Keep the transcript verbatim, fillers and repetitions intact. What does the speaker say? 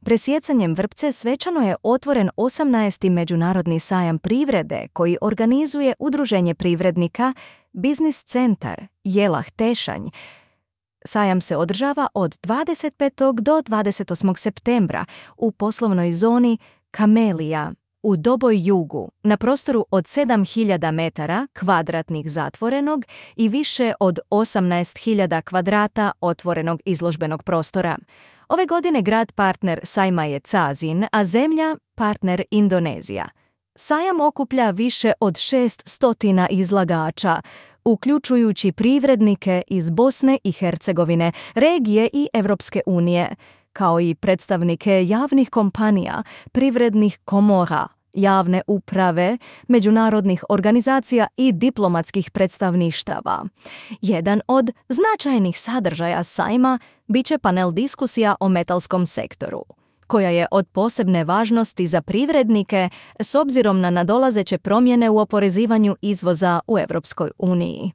Presjecanjem vrpce svečano je otvoren osamnaesti Međunarodni sajam privrede koji organizuje Udruženje privrednika Biznis centar Jelah Tešanj. Sajam se održava od dvadeset petog do dvadeset osmog septembra u poslovnoj zoni Kamelija u Doboj Jugu na prostoru od sedam hiljada metara kvadratnih zatvorenog i više od osamnaest hiljada kvadrata otvorenog izložbenog prostora. Ove godine grad partner sajma je Cazin, a zemlja partner Indonezija. Sajam okuplja više od šest stotina izlagača, uključujući privrednike iz Bosne i Hercegovine, regije i Evropske unije, kao i predstavnike javnih kompanija, privrednih komora, javne uprave, međunarodnih organizacija i diplomatskih predstavništava. Jedan od značajnih sadržaja sajma biće panel diskusija o metalskom sektoru, koja je od posebne važnosti za privrednike s obzirom na nadolazeće promjene u oporezivanju izvoza u Evropskoj uniji.